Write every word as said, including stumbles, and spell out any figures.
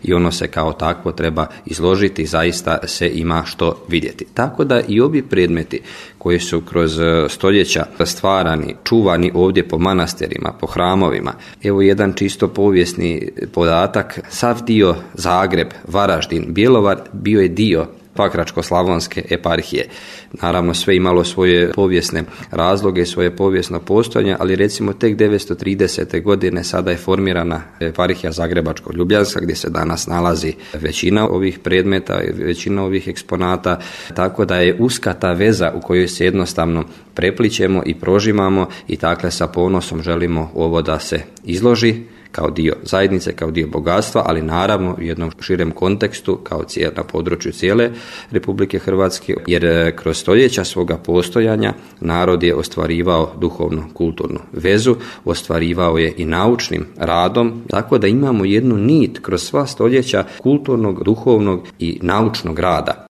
i ono se kao takvo treba izložiti i zaista se ima što vidjeti. Tako da i ovi predmeti koji su kroz stoljeća stvarani, čuvani ovdje po manastirima, po hramovima. Evo jedan čisto povijesni podatak, sav dio Zagreb, Varaždin, Bjelovar bio je dio Pakračko-slavonske eparhije. Naravno sve imalo svoje povijesne razloge, svoje povijesno postojanje, ali recimo tek devetsto tridesete godine sada je formirana eparhija Zagrebačko-ljubljanska gdje se danas nalazi većina ovih predmeta, većina ovih eksponata, tako da je uska ta veza u kojoj se jednostavno preplićemo i prožimamo i dakle sa ponosom želimo ovo da se izloži kao dio zajednice, kao dio bogatstva, ali naravno u jednom širem kontekstu kao cijel, na području cijele Republike Hrvatske, jer kroz stoljeća svoga postojanja narod je ostvarivao duhovnu kulturnu vezu, ostvarivao je i naučnim radom, tako da imamo jednu nit kroz sva stoljeća kulturnog, duhovnog i naučnog rada.